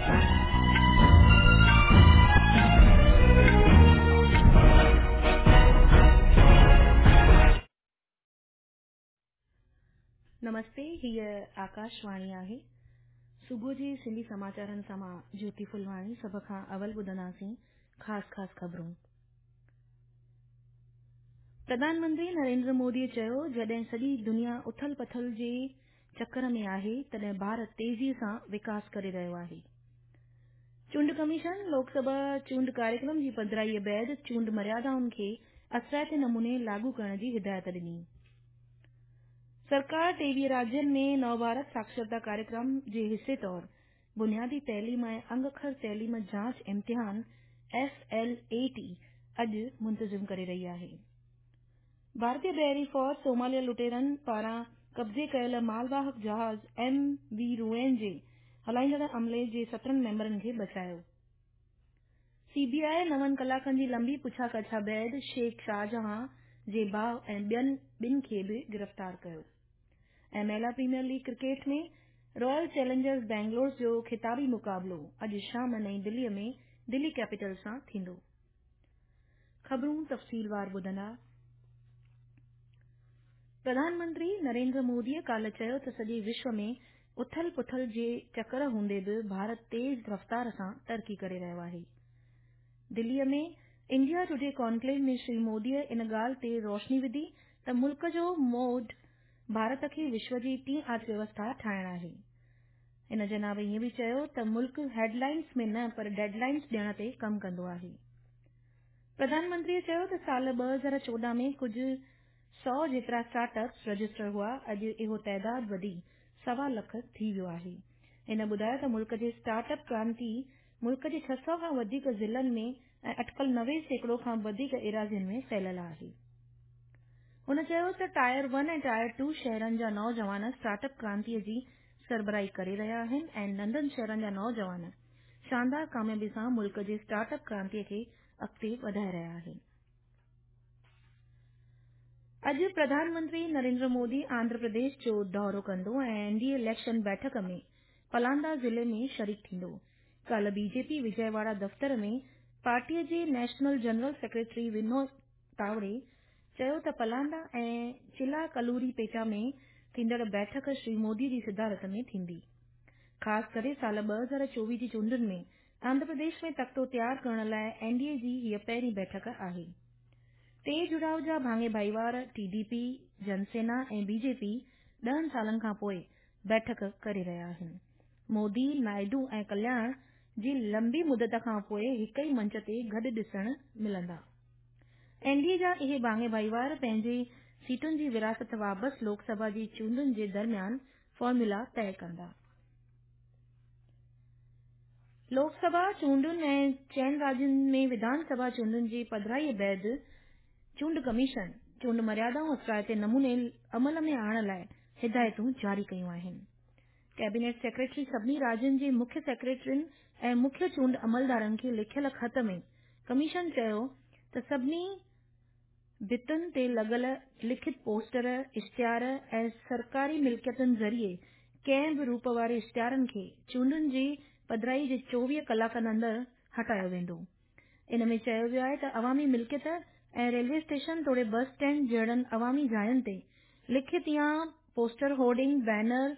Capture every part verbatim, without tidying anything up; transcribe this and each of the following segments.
नमस्ते, हीअ आकाशवाणी आहे। सुबुह जे सिंधी समाचारनि सां मां ज्योति फुलवाणी। सभ खां अवल ॿुधंदासीं ख़ासि ख़ासि ख़बरूं। प्रधानमंत्री नरेंद्र मोदीअ चयो, जॾहिं सॼी दुनिया उथल पथल जे चक्कर में आहे, तॾहिं भारत तेज़ीअ सां विकास करे रहियो आहे। चूंड कमीशन लोकसभा चूंड कार्यक्रम जी पधराईअ बाद चूंड मर्यादाउनि खे असराइते नमूने लागू करण जी हिदायत ॾिनी। सरकार टेवीह राज्यनि में नव भारत साक्षरता कार्यक्रम जे हिसे तौर बुनियादी तइलीम ऐं अंग अखर तइलीम जांच इम्तिहान एफ एल ए टी अॼु मुंतज़िम करे रही आहे। भारतीय बहरी फ़ौज सोमालिया लुटेरनि पारां कब्ज़े कयल मालवाहक जहाज़ एम वी रुएन जे हलाईंदड़ अमले जे सत्रहं मेंबरनि खे बचायो। सीबीआई नवनि कलाकनि जी लंबी पुछा काछा बाद शेख शाहजहां जे भाउ ऐं ॿियनि ॿिनि खे बि गिरफ़्तार कयो। ऐं महिला premier league cricket में रॉयल चैलेंजर्स बैंगलोर जो ख़िताबी मुक़ाबलो अॼु शाम नई दिल्लीअ में दिल्ली कैपिटल सां थींदो। ख़बरूं तफ़सीलवार ॿुधंदा। प्रधानमंत्री नरेंद्र मोदीअ काल्ह चयो त सॼे विश्व में उथल पुथल जे चक्कर हूंदे बि भारत तेज़ रफ़्तार सां तरक़ी करे रहियो आहे। दिल्लीअ में इंडिया टुडे कॉन्क्लेव में श्री मोदीअ इन ॻाल्हि ते रोशनी विधी त मुल्क जो मोड भारत खे विश्व जी टीं अर्थव्यवस्था ठाहिण आहे। हिन जनाब ईअं बि चयो त मुल्क हेडलाइंस में न पर डेडलाइंस ॾियण ते कमु कंदो आहे। प्रधानमंत्रीअ चयो त साल ॿ हज़ार चोॾहं में कुझु सौ जेतिरा स्टार्टअप्स रजिस्टर हुआ, अॼु इहो ताइदाद वधी सवा लख थी वियो आहे। हिन ॿुधायो त मुल्क जे स्टार्टअप क्रांति मुल्क जे छह सौ खां वधीक ज़िलनि में ऐं अटकल नवे सैकड़ो खां वधीक एराज़ियुनि में फैलियल आहे। हुन चयो त टायर वन ऐं टायर टू शहरनि जा नौजवान स्टार्टअप क्रांतीअ जी सरबराही करे रहिया आहिनि ऐं नंढनि शहरनि जा नौजवान शानदार कामयाबी सां मुल्क जे स्टार्टअप क्रांतीअ खे अॻिते वधाए रहिया आहिनि। अॼु प्रधानमंत्री नरेंद्र मोदी आंध्र प्रदेश जो दौरो कंदो ऐं एनडीए इलेक्शन बैठक में पलांदा ज़िले में शरीक थींदो। काल्ह बीजेपी विजयवाड़ा दफ़्तर में पार्टीअ जे national general secretary Vinod Tawde चयो त पलांदा ऐं चिला कलूरी पेटा में थींदड़ बैठक श्री मोदी जी सदारत में थींदी। ख़ासि करे साल ॿ हज़ार चोवीह जी चूंडुनि में आंध्र प्रदेश में तख़्तो तयारु करण लाइ एनडीए जी हीअ पहिरीं बैठक आहे। टे जुड़ाव जा भाङे भाईवार टीडीपी, जनसेना ऐं बीजेपी ॾहनि सालनि खां पोइ बैठक करे रहिया आहिनि। मोदी, नायडू ऐं कल्याण जी लंबी मुदत खां पोइ हिक ई मंच ते गॾु ॾिसण मिलंदा। एनडीए जा इहे भाङे भाईवार पंहिंजी सीटुनि जी विरासत वापसि लोकसभा जी चूंडुनि जे दरमियान फॉर्मूला तय कंदा। लोकसभा चूंडुनि ऐं चइनि राज्यनि में विधानसभा चूंडुनि जी पधराईअ बाद चूंड कमीशन चूंड मर्यादाऊं असराइते नमूने अमल में आणण लाइ हिदायतूं जारी कयूं आहिनि। कैबिनेट सेक्रेटरी सभिनी राज्यनि जे मुख्य सेक्रेटरियुनि ऐं मुख्य चूंड अमलदारनि खे लिखियल ख़त में कमीशन चयो त सभिनी भितुनि ते लॻल लिखित पोस्टर, इश्तिहार ऐं सरकारी मिल्कियतुनि ज़रिए कंहिं बि रूप वारे इश्तिहारनि खे चूंडुनि जी पधराई जे चोवीह कलाकनि अंदरि हटायो वेंदो। इन में चयो वियो आहे त अवामी मिल्कियत ऐं रेलवे स्टेशन तोड़े बस स्टैंड जहिड़नि अवामी जायुनि ते लिखित या पोस्टर, होर्डिंग, बैनर,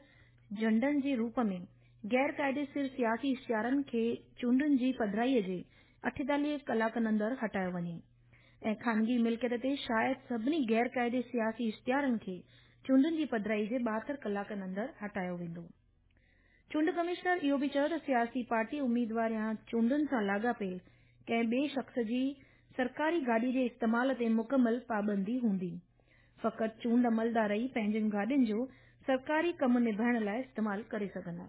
झंडनि जे रूप में गैर क़ाइदेसिर सियासी इश्तिहारनि खे चूंडुनि जी पधराईअ जे अठेतालीह कलाकनि अंदरि हटायो वञे ऐं ख़ानगी मिल्कियत ते शायद सभिनी गैर क़ाइदे सियासी इश्तिहारनि खे चूंडुनि जी पधराई जे ॿाहतरि कलाकनि अंदरि हटायो वेंदो। चूंड कमिश्नर इहो बि चयो त सियासी पार्टी उम्मीदवार या चूंडुनि सां लाॻापियल कंहिं ॿिए शख़्स जी सरकारी गाॾी जे इस्तेमाल ते मुकमल पाबंदी हूंदी। फ़क़ति चूंड अमलदार ई पंहिंजनि गाॾियुनि जो सरकारी कमु निभाइण लाइ इस्तेमाल करे सघंदा।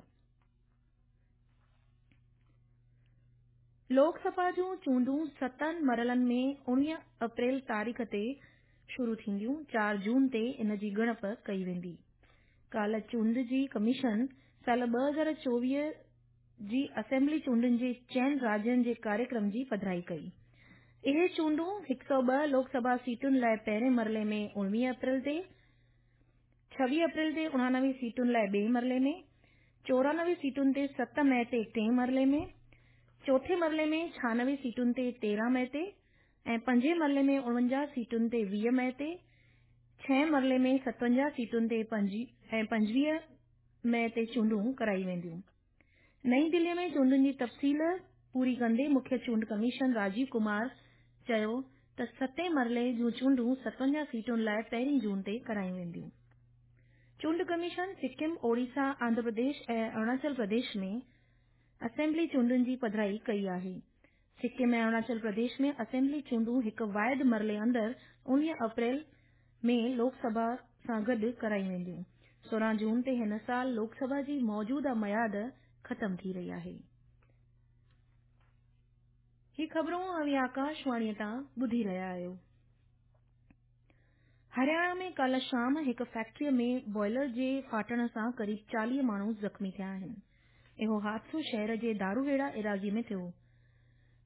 लोकसभा जूं चूंडूं सतनि मरहलनि में उणिवीह अप्रैल तारीख़ ते शुरू थींदियूं। चारि जून ते इन जी ॻणप कई वेंदी। काल्ह चूंड जी कमीशन साल ॿ हज़ार चोवीह जी असेंबली चूंडुनि जे चइनि राज्यनि जे कार्यक्रम जी पधराई कई। इहे चूंडूं हिकु सौ ॿ लोकसभा सीटुनि लाइ पहिरें मरहले में उणिवीह अप्रैल ते, छवीह अप्रैल ते उणानवे सीटुनि लाइ ॿिए मरहले में, चोरानवे सीटुनि ते सत मई ते टे मरहले में, चोथे मरहले में छानवे सीटुनि ते तेरहं मई ते ऐं पंजे मरहले में उणवंजाह सीटुनि ते वीह मई ते, छहें मरहले में सतवंजाह सीटुनि ते ऐं पंजवीह मई ते चूंडूं कराई वेंदियूं। नई दिल्लीअ में चूंडुनि जी तफ़सील पूरी कंदे मुख्य चूंड कमिश्नर राजीव कुमार चयो त सतें मरहले जूं चूंडूं सतवंजाह सीटुनि लाइ पहिरीं जून ते करायूं वेंदियूं। चूंड कमीशन सिक्किम, ओडिशा, आंध्र प्रदेश ऐं अरुणाचल प्रदेश में असेंबली चूंडुनि जी पधराई कई आहे। सिक्किम ऐं अरुणाचल प्रदेश में असेंबली चूंडूं हिकु वाइद मरहले अंदरि उणिवीह अप्रैल में लोकसभा सां गॾु करायूं वेंदियूं। सोरहं जून ते हिन साल लोकसभा जी मौजूदा मयाद ख़तम थी रही आहे। ही ख़बरूं अव्हीं आकाशवाणीअ तां ॿुधी रहिया आहियो। हरियाणा में काल्ह शाम हिकु फैक्ट्रीअ में बॉयलर जे फाटण सां क़रीब चालीह माण्हू ज़ख़्मी थिया आहिनि। इहो हादिसो शहर जे दारूहेड़ा इराज़ी में थियो।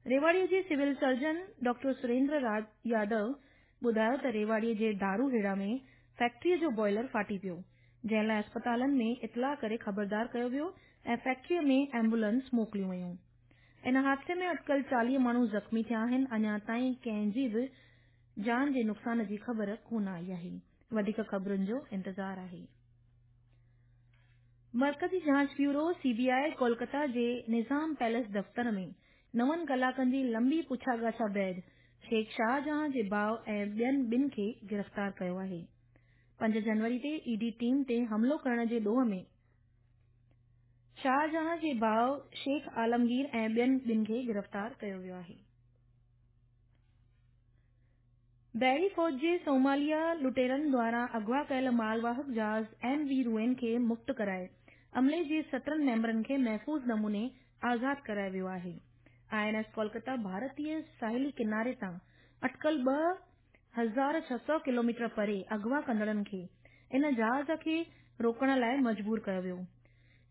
रेवाड़ीअ जे civil surgeon doctor Surendra Yadav ॿुधायो त रेवाड़ीअ जे दारूहेड़ा में फैक्ट्रीअ जो बॉयलर फाटी पियो, जंहिं लाइ अस्पतालनि में इतलाह करे ख़बरदार कयो वियो ऐं फैक्ट्रीअ में एम्बुलेंस मोकिलियूं वयूं। इन हादिसे में अटकल चालीह माण्हू ज़ख़्मी थिया आहिनि। अञा ताईं कंहिंजी बि जान जे नुक़सान जी ख़बर कोन आई आहे। वधीक ख़बरुनि जो इंतज़ार आहे। मरकज़ी जांच ब्यूरो सीबीआई कोलकाता जे निज़ाम पैलेस दफ़्तर में नवनि कलाकनि जी लंबी पुछा-ॻाछा बाद शेख शाहजहां जे भाउ ऐं ॿियनि ॿिनि खे गिरफ़्तार कयो आहे। पंज जनवरी ते ईडी टीम ते हमलो करण जे ॾोह में शाहजहां जे भाउ शेख आलमगीर ऐं ॿियनि ॿिनि खे गिरफ़्तार कयो वियो आहे। बहरी फ़ौज जे सोमालिया लुटेरनि द्वारा अगवा कयल मालवाहक जहाज़ एम वी रुएन खे मुक्त कराए अमले जे सत्रहं मेंबरनि खे महफ़ूज़ नमूने आज़ाद करायो वियो आहे। I N S Kolkata भारतीय साहिली किनारे तां अटकल ॿ हज़ार छह सौ किलोमीटर परे अगवा कंदड़नि खे इन जहाज़ खे रोकण लाइ मजबूर कयो वियो।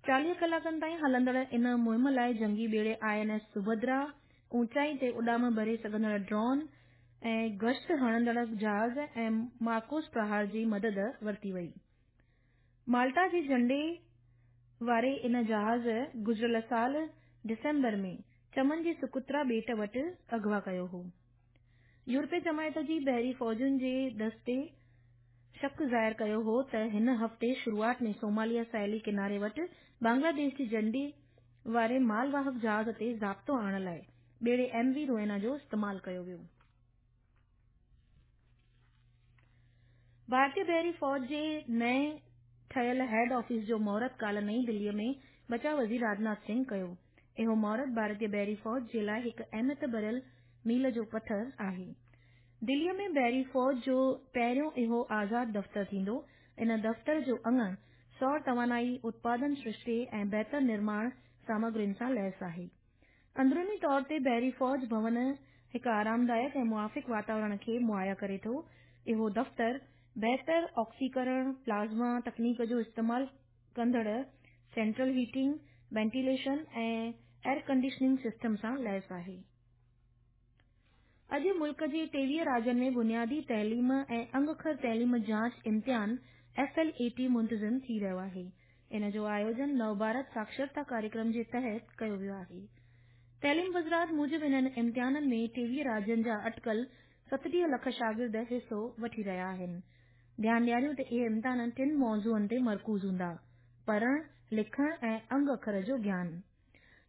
चालीह कलाकनि ताईं हलंदड़ इन मुहिम लाइ जंगी ॿेड़े I N S Subhadra, ऊंचाई ते उॾाम भरे सघंदड़ ड्रोन ऐं गश्त हणंदड़ जहाज़ ऐं मार्कोस प्रहार जी मदद वरिती वई। माल्टा जे झंडे वारे इन जहाज़ गुज़िरियल साल डिसेंबर में चमन जे सुकुत्रा ॿेट वटि अगवा कयो हो। यूरोपीय जमायत जी बहरी फ़ौजुनि जे दस्ते शक ज़ाहिर कयो हो त हिन हफ़्ते शुरूआत में सोमालिया साहिली किनारे वटि बांग्लादेश जी झंडे वारे मालवाहक जहाज़ ते ज़ाब्तो आणण लाइ ॿेड़े एम वी रोएना जो इस्तेमालु कयो वियो। भारतीय बहरी फ़ौज जे नए ठहियल हेड ऑफिस जो मुहूर्त काल्ह नई दिल्लीअ में बचाव वज़ीर राजनाथ सिंह कयो। इहो मुहूर्त भारतीय बहरी फ़ौज जे लाइ हिकु अहमियत भरियल मील जो पथर आहे। दिल्लीअ में बहरी फ़ौज जो पहिरियों इहो आज़ाद दफ़्तर थींदो। इन दफ़्तर जो अंगण सौर तवानाई, उत्पादन सृष्टि ऐं बहितर निर्माण सामग्रियुनि सां लैस आहे। अंदरूनी तौर ते बहरी फ़ौज भवन हिकु आरामदायक ऐं मुआफ़िक़ वातावरण खे मुहैया करे थो। इहो दफ़्तर बहितर ऑक्सीकरण, प्लाज़्मा तकनीक जो इस्तेमालु कंदड़ सेंट्रल हीटिंग, वेंटिलेशन ऐं एयर कंडीशनिंग सिस्टम सां लैस आहे। अॼु मुल्क जे टेवीह राज्यनि में बुनियादी तइलीम ऐं अंग-अखर तइलीम जांच इम्तिहान एफ एल ए टी मुंतज़िम थी रहियो आहे। इन जो आयोजन नव भारत साक्षरता कार्यक्रम जे तहत कयो वियो आहे। तइलीम वज़ारत मूजिबि इन्हनि इम्तिहाननि में टेवीह राज्यनि जा अटकल सतटीह लख शागिर्द हिसो वठी रहिया आहिनि। ध्यानु ॾियारियूं त इहे इम्तिहान टिनि मौज़ूअनि ते मरकूज़ हूंदा: पढ़णु, लिखणु ऐं अंग अखर जो ज्ञान।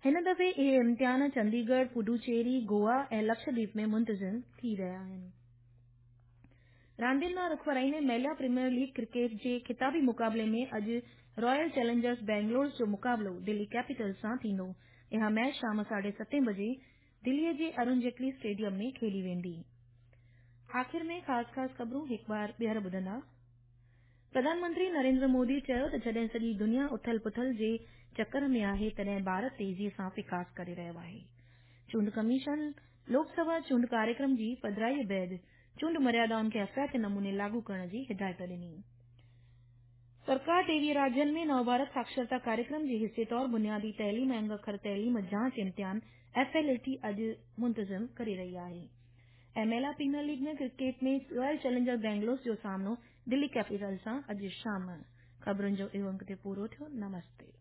हिन दफ़े इहे इम्तिहान चंडीगढ़, पुडुचेरी, गोवा ऐं लक्षद्वीप में मुंतज़िम थी रहिया आहिनि। रांदियुनि ॾांहुं रुख वराईंदे महिला प्रीमियर लीग क्रिकेट जे ख़िताबी मुक़ाबले में अॼु रॉयल चैलेंजर्स बैंगलोर जो मुक़ाबलो दिल्ली कैपिटल्स सां थींदो। इहा मैच शाम साढे सतें बजे दिल्लीअ जे अरुण जेटली स्टेडियम में खेली वेंदी। आख़िर में ख़ासि ख़ासि ख़बरूं हिकु बार ॿीहर ॿुधंदा। प्रधानमंत्री नरेंद्र मोदी चयो त जॾहिं सॼी दुनिया उथल पुथल जे चक्कर में आहे, तॾहिं भारत तेज़ीअ सां विकास करे रहियो आहे। चूंड कमीशन लोकसभा चूंड कार्यक्रम जी पधराईअ बाद चूंड मर्यादाउनि खे असराइते नमूने लागू करण जी हिदायत ॾिनी। सरकार टेवीह राज्यनि में नव भारत साक्षरता कार्यक्रम जे हिसे तौर बुनियादी तइलीम ऐं अंग-अखर तइलीम जांच इम्तिहान एफ एल ए टी अॼु मुंतज़िम करे रही आहे। ऐं महिला प्रीमियर लीग में क्रिकेट में रॉयल चैलेंजर बैंगलोर जो सामनो दिल्ली कैपिटल्स सां अॼु शाम। ख़बरुनि जो इहो अंक ते पूरो थियो। नमस्ते।